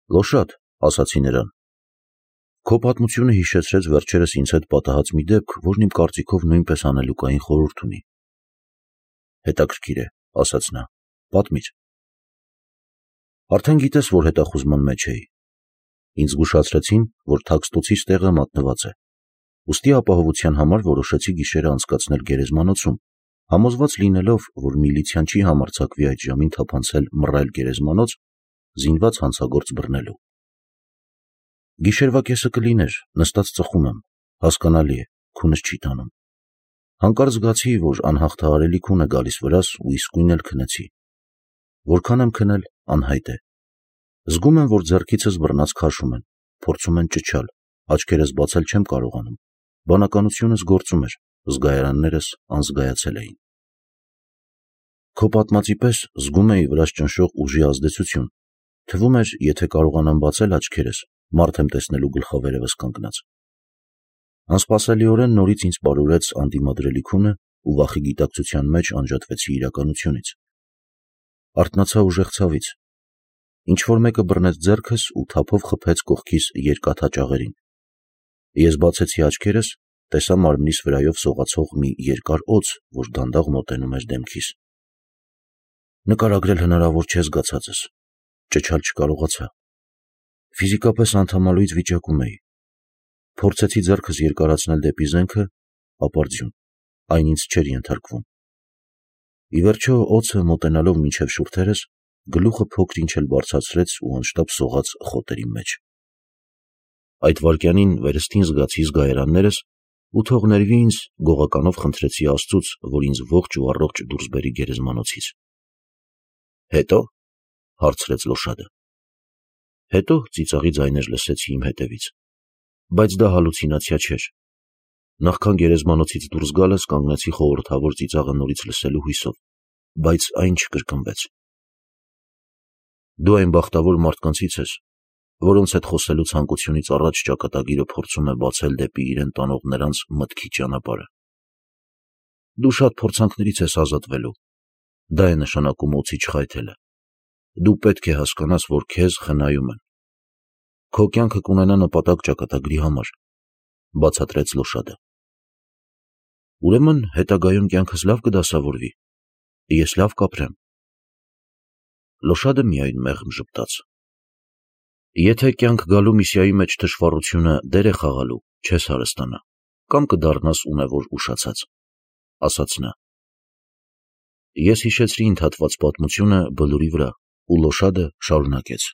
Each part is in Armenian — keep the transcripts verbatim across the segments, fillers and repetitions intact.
Լոշադ, ասացի նրան, քո պատմությունը հիշեցրեց վերջերս ինձ հետ պատահած մի դեպք, որն իմ կարծիքով նույնպես անելուկային խորհուրդ ունի։ Հետաքրքիր է, ասաց նա, պատմիր։ Արդեն գիտես, որ հետախուզման մեջ էի։ Ինձ զգուշացրեցին, որ թաքստոցիս տեղը մատնված է։ Ուստի ապահովության համար որոշեցի գիշերը անցկացնել գերեզմանոցում, համոզված լինելով, որ միլիցիան չի համարձակվի այդ ժամին թափանցել մռայլ գերեզմանոց, զինված հանցագործ բռնելու։ Գիշերվա կեսը կլիներ, նստած ծխում եմ, հասկանալի է, քունս չի տանում։ Հանկարծ զգացի, որ անհաղթահարելի քուն է գալիս վրաս ու իսկույն էլ քնեցի։ Որքան եմ քնել, անհայտ է։ Զգում եմ, որ ձեռքիցս բռնած քաշում են, փորձում են ճչալ, աչքերս բացել չեմ կարողանում։ Բանականությունս գործում էր, զգայարաններս անզգայացել էին։ Քո պատմածի պես զգում էի վրաս ճնշող ուժի ազդեցություն։ Թվում էր, եթե կարողանամ բացել աչքերս, մարդ եմ տեսնելու գլխավերևս կանգնած։ Անսպասելիորեն նորից ինձ պարուրեց անդիմադրելի քունը ու վախի գիտակցության մեջ անջատվեցի իրականությունից։ Արթնացա ուժեղ ցավից։ Ինչ-որ մեկը բռնեց ձեռքս ու թափով խփեց կողքիս երկաթա ճաղերին։ Ես բացեցի աչքերս, տեսա մարմնիս վրայով սողացող մի երկար օձ, որ դանդաղ մոտենում էր դեմքիս։ Նկարագրել հնարավոր չէ զգացածս։ Ճչալ չկարողացա։ Ֆիզիկապես անդամալույծ վիճակում էի։ Փորձեցի ձեռքս երկարացնել դեպի զենքը, ապարդյուն, այն ինձ չէր ենթարկվում։ Ի վերջո օձը մոտենալով մինչև շուրթերս, գլուխը փոքր-ինչ էլ բարձրացրեց ու անշտապ սողաց խոտերի մեջ։ Այդ վայրկյանին վերստին զգացի զգայարաններս ու թող ներվի ինձ, գողականով խնդրեցի Աստծուց, որ ինձ ողջ ու առողջ դուրս բերի գերեզմանոցից։ Հետո, հարցրեց Լոշադը։ Հետո ծիծաղի ձայներ լսեցի իմ հետևից, բայց դա հալուցինացիա չէր։ Նախքան գերեզմանոցից դուրս գալս կանգնեցի խորհրդավոր ծիծաղը նորից լսելու հույսով, բայց այն չկրկնվեց։ Դու այն բախտավոր մարդկանցից ես, որոնց հետ խոսելու ցանկությունից առաջ ճակատագիրը փորձում է բացել դեպի իրեն տանող նրանց մտքի ճանապարհը։ Դու շատ փորձանքներից ես ազատվելու։ Դա է նշանակում օձի չխայթելը։ Դու պետք է հասկանաս, որ քեզ խնայում են։ Քո կյանքը կունենա նպատակ ճակատագրի համար, բացատրեց Լոշադը։ Ուրեմն հետագայում կյանքս լավ կդասավորվի։ Ես լավ կապրեմ։ Լոշադը միայն մեղմ ժպտաց։ Եթե կյանք գալու միսիայի մեջ թշվառությունը դեր է խաղալու, չես հարստանա, կամ կդառնաս ունևոր ուշացած, ասաց նա։ Ես հիշեցրի ընդհատված պատմությունը Բլուրի վրա, ու Լոշադը շարունակեց.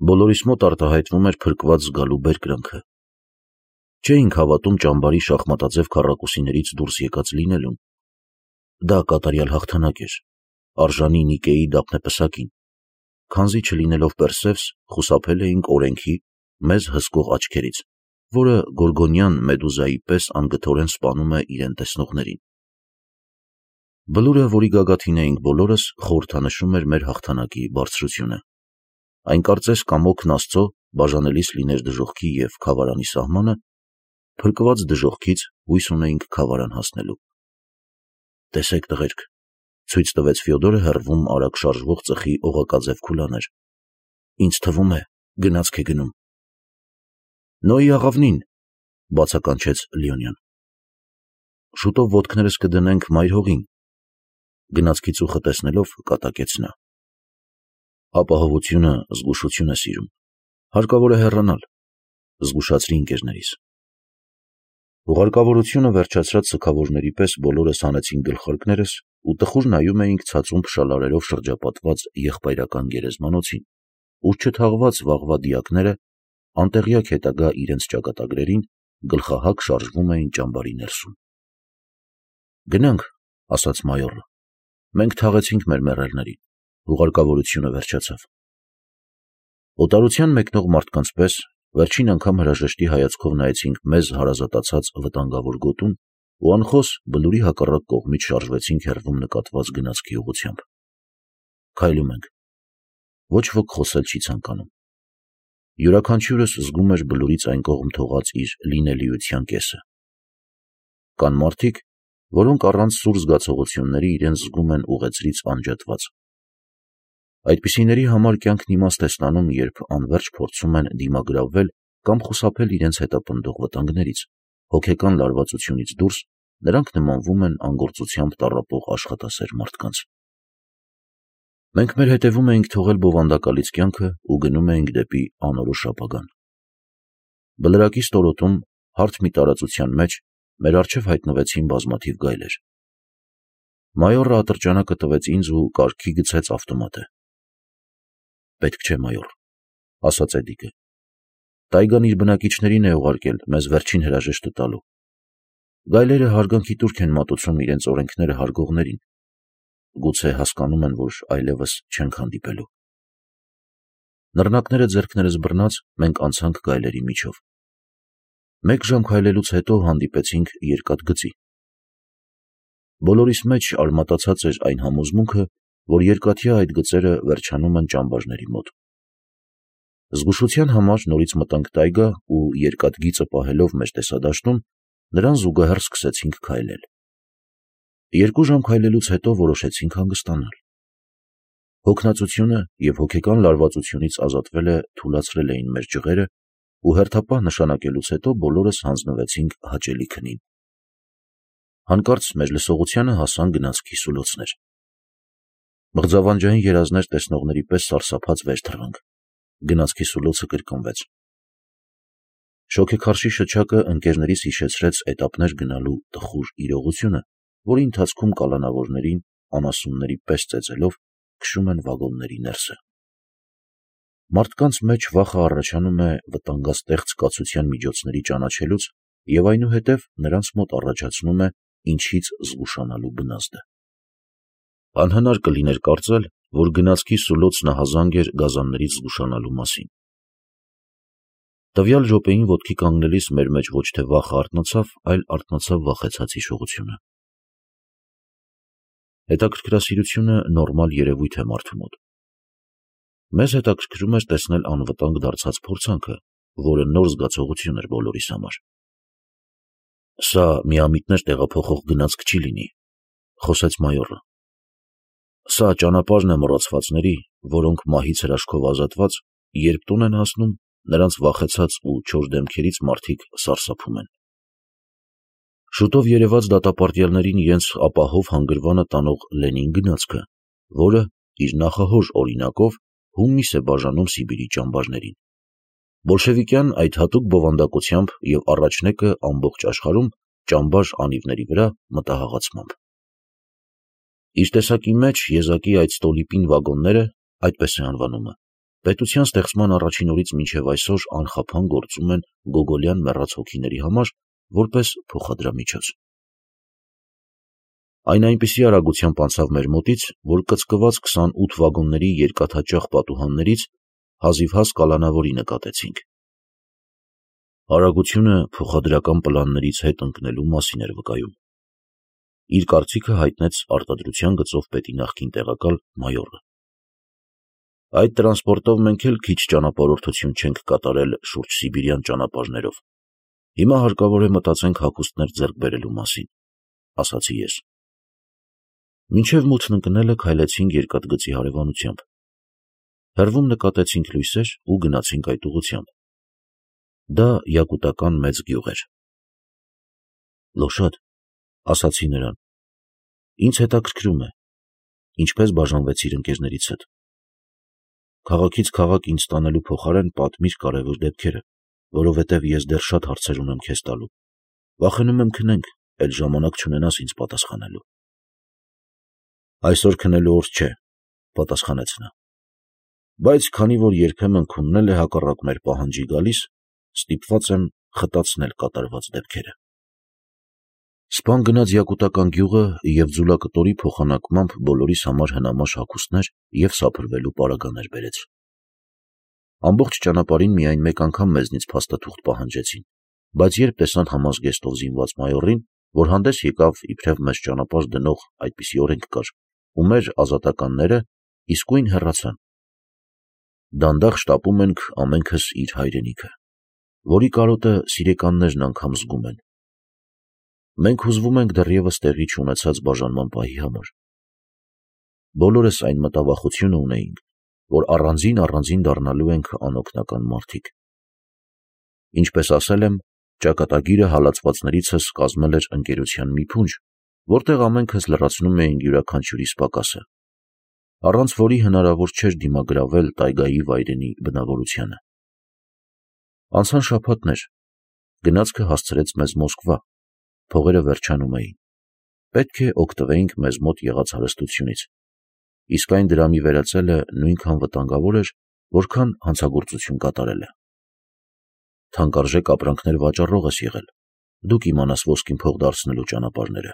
Բոլորիս մոտ արտահայտվում էր փրկված զգալու բերկրանքը։ Չէինք հավատում ճամբարի շախմատաձև քառակուսիներից դուրս եկած լինելուն։ Դա կատարյալ հաղթանակ էր, արժանի Նիկեի դափնեպսակին, քանզի չլինելով Պերսևս, խուսափել էինք օրենքի մեզ հսկող աչքերից, որը գորգոնյան մեդուզայի պես անգթորեն սպանում է իրեն տեսնողներին։ Բլուրը, որի գագաթին էինք բոլորս, խորհրդանշում էր մեր հաղթանակի բարձրությունը։ Այն կարծես կամոքն Աստծո բաժանելիս լիներ դժոխքի և քավարանի սահմանը, փրկված դժոխքից հույս ունեինք քավարան հասնելու։ Տեսեք, տղերք, ցույց տվեց Ֆյոդորը հեռվում արագ շարժվող ծխի օղակաձև քուլաներ։ Ինձ թվում է, գնացք է գնում։ Նոյի աղավնին, բացականչեց Լիոնյան։ Շուտով ոտքներս կդնենք մայր հողին, գնացքի ծուխը տեսնելով կատակեց նա։ Ապահովությունը զգուշություն է սիրում, հարկավոր է հեռանալ, զգուշացրի ընկերներիս։ Ուղարկավորությունը վերջացրած սգավորների պես բոլորս հանեցինք գլխարկներս ու տխուր նայում էինք ցածուն փշալարերով շրջապատված եղբայրական գերեզմանոցին, ուր չթաղված վաղվա դիակները, անտեղյակ հետագա իրենց ճակատագրերին, գլխահակ շարժվում էին ճամբարի ներսում։ Գնանք, ասաց մայորը, մենք թաղեցինք մեր մեռելներին, ուղարկավորությունը վերջացավ։ Օտարության մեկնող մարդկանց պես վերջին անգամ հրաժեշտի հայացքով նայեցինք մեզ հարազատացած վտանգավոր գոտուն ու անխոս Բլուրի հակառակ կողմից շարժվեցինք հեռվում նկատված գնացքի ուղղությամբ։ Քայլում ենք։ Ոչ ոք խոսել չի ցանկանում։ Յուրաքանչյուրս զգում էր Բլուրից այն կողմ թողած իր լինելիության կեսը։ Կան մարդիկ, որոնք առանց սուր զգացողությունների իրենց զգում են ուղեծրից անջատված։ Այդպիսիների համար կյանքն իմաստ է ստանում, երբ անվերջ փորձում են դիմագրավել կամ խուսափել իրենց հետապնդող վտանգներից, հոգեկան լարվածությունից դուրս նրանք նմանվում են անգործությամբ տառապող աշխատասեր մարդկանց։ Մենք մեր հետևում էինք թողել բովանդակալից կյանքը ու գնում էինք դեպի անորոշ ապագան։ Բլրակի ստորոտում, հարթ մի տարածության մեջ, մեր առջև հայտնվեցին բազմաթիվ գայլեր։ Մայորը ատրճանակը տվեց ինձ ու կարգի գցեց ավտոմատը։ «Պետք չէ, մայոր», ասաց Էդիկը։ «Տայգան իր բնակիչներին է ուղարկել մեզ վերջին հրաժեշտը տալու։ Գայլերը հարգանքի տուրք են մատուցում իրենց օրենքները հարգողներին։ Գուցե հասկանում են, որ այլևս չենք հանդիպելու»։ Նռնակները ձեռքներս բռնած մենք անցանք գայլերի միջով։ Մեկ ժամ քայլելուց հետո հանդիպեցինք երկաթգծի։ Բոլորիս մեջ արմատացած էր այն համոզմունքը, որ երկաթյա այդ գծերը վերջանում են ճամբարների մոտ։ Զգուշության համար նորից մտանք տայգա ու երկաթգիծը պահելով մեր տեսադաշտում, նրան զուգահեռ սկսեցինք քայլել։ Երկու ժամ քայլելուց հետո որոշեցինք հանգստանալ։ Հոգնածությունը և հոգեկան լարվածությունից ազատվելը թուլացրել էին մեր ջղերը ու հերթապահ նշանակելուց հետո բոլորս հանձնվեցինք հաճելի քնին։ Հանկարծ մեր լսողությանը հասան գնացքի սուլոցներ։ Մղձավանջային երազներ տեսնողների պես սարսափած վեր թռանք։ Գնացքի սուլոցը կրկնվեց։ Շոգեքարշի շչակը ընկերներիս հիշեցրեց էտապներ գնալու տխուր իրողությունը, որի ընթացքում կալանավորներին անասունների պես ծեծելով քշում են վագոնների ներսը։ Մարդկանց մեջ վախը առաջանում է վտանգաստեղծ կացության միջոցների ճանաչելուց և այնուհետև նրանց մոտ առաջացնում է ինչից զգուշանալու բնազդը։ Անհնար կլիներ կարծել, որ գնացքի սուլոցն ահազանգ էր գազաններից զգուշանալու մասին։ Տվյալ րոպեին ոտքի կանգնելիս մեր մեջ ոչ թե վախը արթնացավ, այլ արթնացավ վախեցած հիշողությունը։ Հետաքրքրասիրությունը նորմալ երևույթ է մարդու մոտ։ Մեզ հետաքրքրում էր տեսնել անվտանգ դարձած փորձանքը, որը նոր զգացողություն էր բոլորիս համար։ «Սա միամիտներ տեղափոխող գնացք չի լինի», խոսեց մայորը։ «Սա ճանապարհն է մոռացվածների, որոնք մահից հրաշքով ազատված, երբ տուն են հասնում, նրանց վախեցած ու չոր դեմքերից մարդիկ սարսափում են։ Շուտով երևաց դատապարտյալներին իրենց ապահով հանգրվանը տանող Լենին գնացքը, որը իր նախահոր օրինակով հումնիս է բաժանում Սիբիրի ճամբարներին։ Բոլշևիկյան այդ հատուկ բովանդակությամբ և առաջնեկը ամբողջ աշխարհում ճամբար անիվների վրա մտահաղացմամբ։ Իր տեսակի մեջ եզակի այդ ստոլիպին վագոնները, այդպես է անվանումը, պետության ստեղծման առաջին օրից մինչև այսօր անխափան գործում են գոգոլյան մեռած հոգիների համար որպես փոխադրամիջոց։ Այն այնպիսի արագությամբ անցավ մեր մոտից, որ կծկված քսանութ վագոնների երկաթհաճախ պատուհաններից հազիվհազ կալանավորի նկատեցինք։ Արագությունը փոխադրական պլաններից հետ ընկնելու մասին էր վկայում։ Իր կարծիքը հայտնեց արտադրության գծով պետի նախկին տեղակալ մայորը։ Այդ տրանսպորտով մենք էլ քիչ ճանապարհորդություն չենք կատարել շուրջ սիբիրյան ճանապարհներով։ Հիմա հարկավոր է մտածենք հագուստներ ձեռք բերելու մասին, ասացի ես։ Մինչև մութն ընկնելը քայլեցինք երկաթգծի հարևանությամբ։ Հեռվում նկատեցինք լույսեր ու գնացինք այդ ուղղությամբ։ Դա յակուտական մեծ գյուղ էր։ Լոշադ, ասացի նրան, ինձ հետաքրքրում է, ինչպես բաժանվեցիր ընկերներից հետ։ Քաղաքից քաղաք ինձ տանելու փոխարեն պատմիր կարևոր դեպքերը, որովհետև ես դեռ շատ հարցեր ունեմ քեզ տալու։ Վախենում եմ քնենք, էլ ժամանակ չունենաս ինձ պատասխանելու։ Այսօր քնելու օր չէ, պատասխանեց նա։ Բայց քանի որ երբեմն քունն էլ է հակառակ մեր պահանջի գալիս, ստիպված եմ խտացնել կատարված դեպքերը։ Սպան գնաց յակուտական գյուղը և ձուլակտորի փոխանակմամբ բոլորիս համար հնամաշ հագուստներ և սափրվելու պարագաներ բերեց։ Ամբողջ ճանապարհին միայն մեկ անգամ մեզնից փաստաթուղթ պահանջեցին, բայց երբ տեսան համազգեստով զինված մայորին, որ հանդես եկավ իբրև մեզ ճանապարհ դնող այդպիսի օրենք կար, ու մեր ազատականները իսկույն հեռացան։ Դանդաղ շտապում ենք ամենքս իր հայրենիքը, որի կարոտը սիրեկաններն անգամ զգում են։ Մենք հուզվում ենք դեռևս տեղի չունեցած բաժանման պահի համար։ Բոլորս այն մտավախությունը ունեինք, որ առանձին առանձին դառնալու ենք անօգնական մարդիկ։ Ինչպես ասել եմ, ճակատագիրը հալածվածներիցս կազմել էր ընկերության մի փունջ, որտեղ ամենքս լրացնում էինք յուրաքանչյուրիս պակասը, առանց որի հնարավոր չէր դիմագրավել տայգայի վայրենի բնավորությանը։ Անցան շաբաթներ, գնացքը հասցրեց մեզ Մոսկվա, փողերը վերջանում էին, պետք է օգտվեինք մեզ մոտ եղած հարստությունից, իսկ այն դրամի վերածելը նույնքան վտանգավոր էր, որքան հանցագործություն կատարելը։ Թանկարժեք ապրանքներ վաճառող ես եղել, դու կիմանաս ոսկին փող դարձնելու ճանապարհները,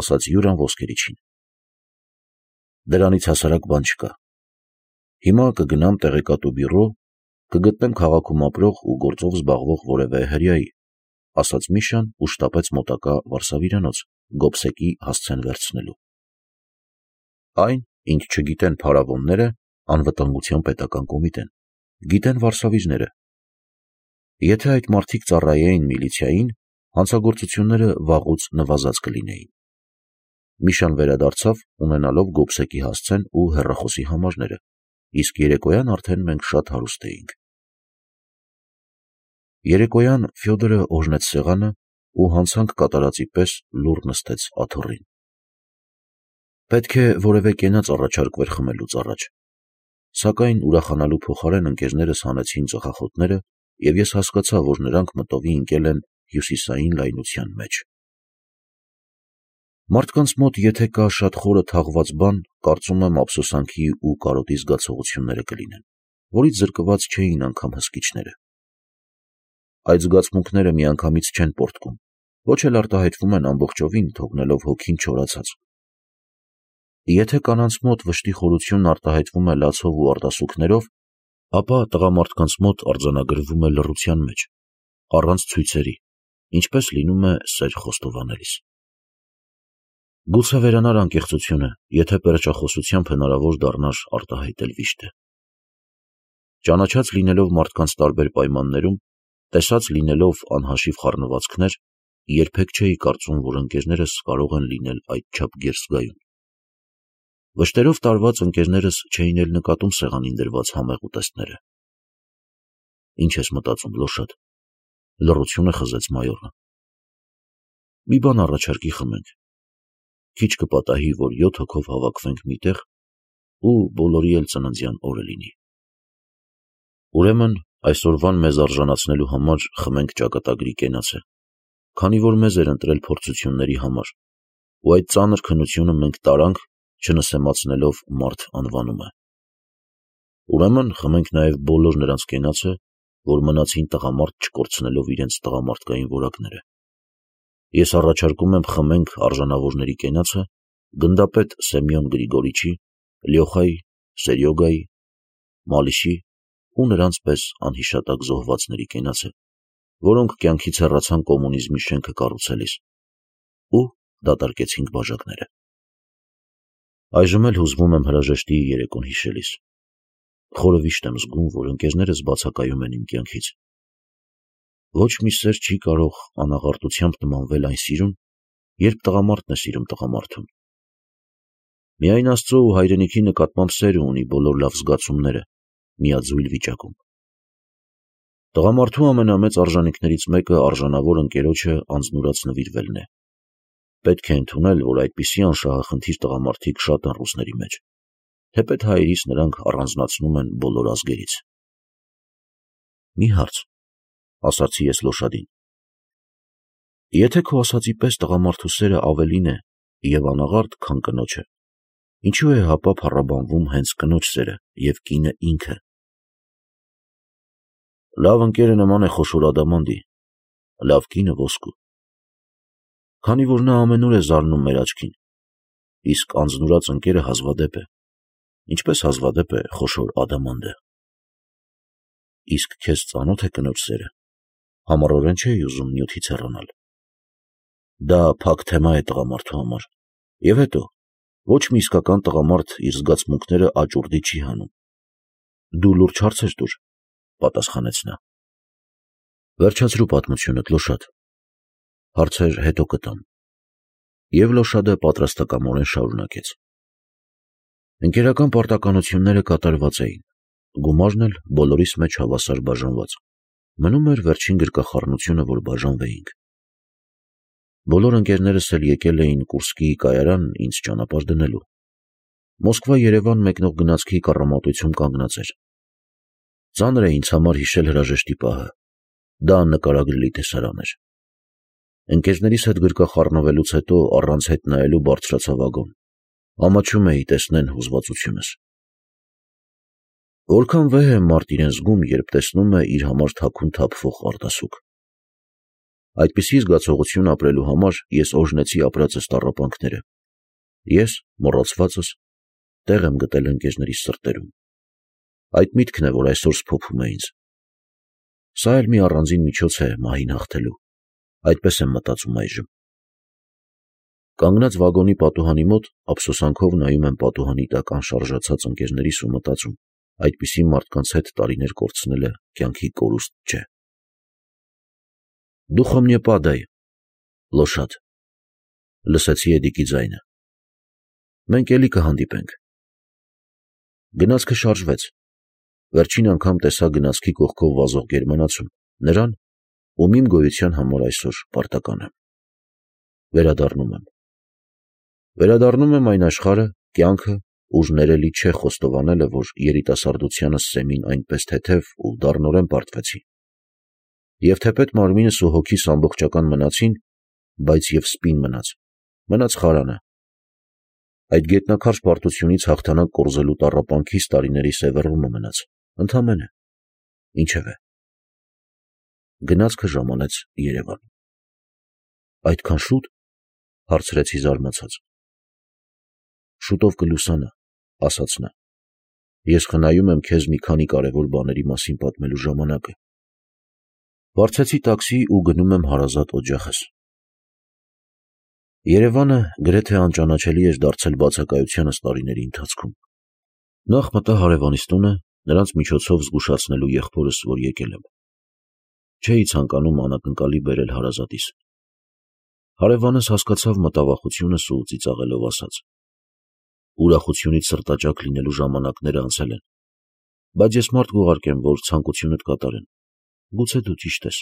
ասաց Յուրան ոսկերիչին։ Դրանից հասարակ բան չկա։ Հիմա կգնամ տեղեկատու բյուրո, կգտնեմ քաղաքում ապրող ու գործով զբաղվող որևէ հրեայի, ասաց Միշան ու շտապեց մոտակա վարսավիրանոց, գոբսեկի հասցեն վերցնելու։ Այն, ինչ չգիտեն փարավոնները, անվտանգության պետական կոմիտեն, գիտեն վարսավիժները։ Եթե այդ մարդիկ ծառայեին միլիցիային, հանցագործությունները վաղուց նվազած կլինեին։ Միշան վերադարձավ, ունենալով գոբսեկի հասցեն ու հեռախոսի համարները, իսկ երեկոյան արդեն մենք շատ հարուստ էինք։ Երեկոյան Ֆյոդորը օրհնեց սեղանը ու հանցանք կատարածի պես լուռ նստեց աթոռին։ Պետք է որևէ կենաց առաջարկվեր խմելուց առաջ, սակայն ուրախանալու փոխարեն ընկերներս հանեցին ծխախոտները, և ես հասկացա, որ նրանք մտովի ընկել են հյուսիսային լայնության մեջ։ Մարդկանց մոտ եթե կա շատ խորը թաղված բան, կարծում եմ ափսոսանքի ու կարոտի զգացողությունները կլինեն, որից զրկված չէին անգամ հսկիչները։ Այդ զգացմունքները միանգամից չեն պոռթկում, ոչ էլ արտահայտվում են ամբողջովին, թողնելով հոգին չորացած։ Եթե կանանց մոտ վշտի խորությունն արտահայտվում է լացով ու արտասուքներով, ապա տղամարդկանց մոտ արձանագրվում է լռության մեջ, առանց ցույցերի, ինչպես լինում է սեր խոստովանելիս։ Գուցե վերանար անկեղծությունը, եթե պերճախոսությամբ հնարավոր դառնար արտահայտել վիշտը։ Ճանաչած լինելով մարդկանց տարբեր պայմաններում, տեսած լինելով անհաշիվ խառնվածքներ, երբեք չէի կարծում, որ ընկերներս կարող են լինել այդչափ գերզգայուն։ Վշտերով տարված ընկերներս չէին էլ նկատում սեղանին դրված համեղ ուտեստները։ Ինչ ես մտածում, Լոշատ, լռությունը խզեց մայորը։ Մի բան առաջարկի խմենք։ Քիչ կպատահի, որ յոթ հոգով հավաքվենք միտեղ ու բոլորի էլ ծննդյան օրը լինի։ Ուրեմն այսօրվան մեզ արժանացնելու համար խմենք ճակատագրի կենացը, քանի որ մեզ էր ընտրել փորձությունների համար, ու այդ ծանր քննությունը մենք տարանք, չնսեմացնելով մարդ անվանումը։ Ուրեմն խմենք նաև բոլոր նրանց կենացը, որ մնացին տղամարդ չկորցնելով իրենց տղամարդկային որակները։ Ես առաջարկում եմ խմենք արժանավորների կենացը, գնդապետ Սեմյոն Գրիգորիչի, Լյոխայի, Սերյոգայի, Մալիշի ու նրանց պես անհիշատակ զոհվածների կենացը, որոնք կյանքից հեռացան կոմունիզմի շենքը կառուցելիս, ու դատարկեցինք բաժակները։ Այժմ էլ հուզվում եմ հրաժեշտի երեկոն հիշելիս։ Խորը վիշտ եմ զգում, որ ընկերներս բացակայում են իմ կյանքից։ Ոչ մի սեր չի կարող անաղարտությամբ նմանվել այն սիրուն, երբ տղամարդն է սիրում տղամարդուն։ Միայն Աստծո ու հայրենիքի նկատմամբ սերը ունի բոլոր լավ զգացումները, միաձույլ վիճակում։ Տղամարդու ամենամեծ արժանինքներից մեկը արժանավոր ընկերոջը անձնուրաց նվիրվելն է։ Պետք է ընդունել, որ այդպիսի անշահախնդիր տղամարդիկ շատ են ռուսների մեջ, թեպետ հայերիս նրանք առանձնացնում են բոլոր ազգերից։ Մի հարց, ասացի ես Լոշադին։ Եթե քո ասածի պես տղամարդու սերը ավելին է և անաղարտ, քան կնոջը, ինչու է հապա փառաբանվում հենց կնոջ սերը և կինը ինքը։ Լավ ընկերը նման է խոշոր ադամանդի, լավ կինը ոսկու։ Քանի որ նա ամենուր է զարնում մեր աչքին, իսկ անձնուրաց ընկերը հազվադեպ է, ինչպես հազվադեպ է խոշոր ադամանդը։ Իսկ քեզ ծանո՞թ է կնոջ սերը, համառորեն չէի ուզում նյութից հեռանալ։ Դա փակ թեմա է տղամարդու համար, և հետո, ոչ մի իսկական տղամարդ իր զգացմունքները աճուրդի չի հանում։ Դու լուրջ հարցեր տուր, պատասխանեց նա։ Վերջացրու պատմությունդ, Լոշադ, հարցեր հետո կտամ։ Եվ Լոշադը պատրաստակամորեն շարունակեց։ Ընկերական պարտականությունները կատարված էին, գումարն էլ բոլորիս մեջ հավասար բաժանված, մնում էր վերջին գրկախառնությունը, որ բաժանվեինք։ Բոլոր ընկերներս էլ եկել էին Կուրսկի կայարան ինձ ճանապարհ դնելու։ Մոսկվա-Երևան մեկնող գնացքի կառամատություն կանգնած էր։ Ծանր է ինձ համար հիշել հրաժեշտի պահը, դա նկարագրելի տեսարան էր։ Ընկերներիս հետ գրկախառնվելուց հետո առանց հետ նայելու բարձրացա վագոն, ամաչում էի տեսնեն հուզվածությունս։ Որքան վեհ է մարդ իրեն զգում, երբ տեսնում է իր համար թաքուն թափվող արտասուք։ Այդպիսի զգացողություն ապրելու համար ես օրհնեցի ապրածս տառապանքները։ Ես, մոռացվածս, տեղ եմ գտել ընկերներիս սրտերում։ Այդ միտքն է, որ այսօր սփոփում է ինձ։ Սա էլ մի առանձին միջոց է մահին հաղթելու, այդպես եմ մտածում այժմ։ Կանգնած վագոնի պատուհանի մոտ ափսոսանքով նայում եմ պատուհանի տակ անշարժացած ընկերներիս ու մտածում, այդպիսի մարդկանց հետ տարիներ կորցնելը կյանքի կորուստ չէ։ Դուխո мне падай, լոշադ, լսեցի Էդիկի ձայնը։ Մենք էլի կհանդիպենք։ Գնացքը շարժվեց։ Վերջին անգամ տեսա գնացքի կողքով վազող գերմանացուն, նրան, ում իմ գոյության համար այսօր պարտական եմ։ Վերադառնում եմ։ Վերադառնում եմ այն աշխարհը, կյանքը, ուր ներելի չէ խոստովանելը, որ երիտասարդությանս սեմին այնպես թեթև ու դառնորեն պարտվեցի։ Եվ թեպետ մարմինս ու հոգիս ամբողջական մնացին, բայց և սպին մնաց, մնաց խարանը։ Այդ գետնաքարշ պարտությունից հաղթանակ կորզելու տառապանքից տարիների սևեռումը մնաց, ընդամենը, ինչևէ։ Գնացքը ժամանեց Երևան։ Այդքան շո՞ւտ, հարցրեցի զարմացած։ Շուտով կլուսանա, ասաց նա։ Ես խնայում եմ քեզ մի քանի կարևոր բաների մասին պատմելու ժամանակը։ Վարձեցի տաքսի ու գնում եմ հարազատ օջախս։ Երևանը գրեթե անճանաչելի էր դարձել բացակայությանս տարիների ընթացքում։ Նախ մտա հարևանիս տունը, նրանց միջոցով զգուշացնելու եղբորս, որ եկել եմ։ Չէի ցանկանում անակնկալի բերել հարազատիս։ Հարևանս հասկացավ մտավախությունս ու ծիծաղելով ասաց. ուրախությունից սրտաճաք լինելու ժամանակները անցել են, բայց ես մարդ կուղարկեմ, որ ցանկությունդ կատարեն, գուցե դու ճիշտ ես։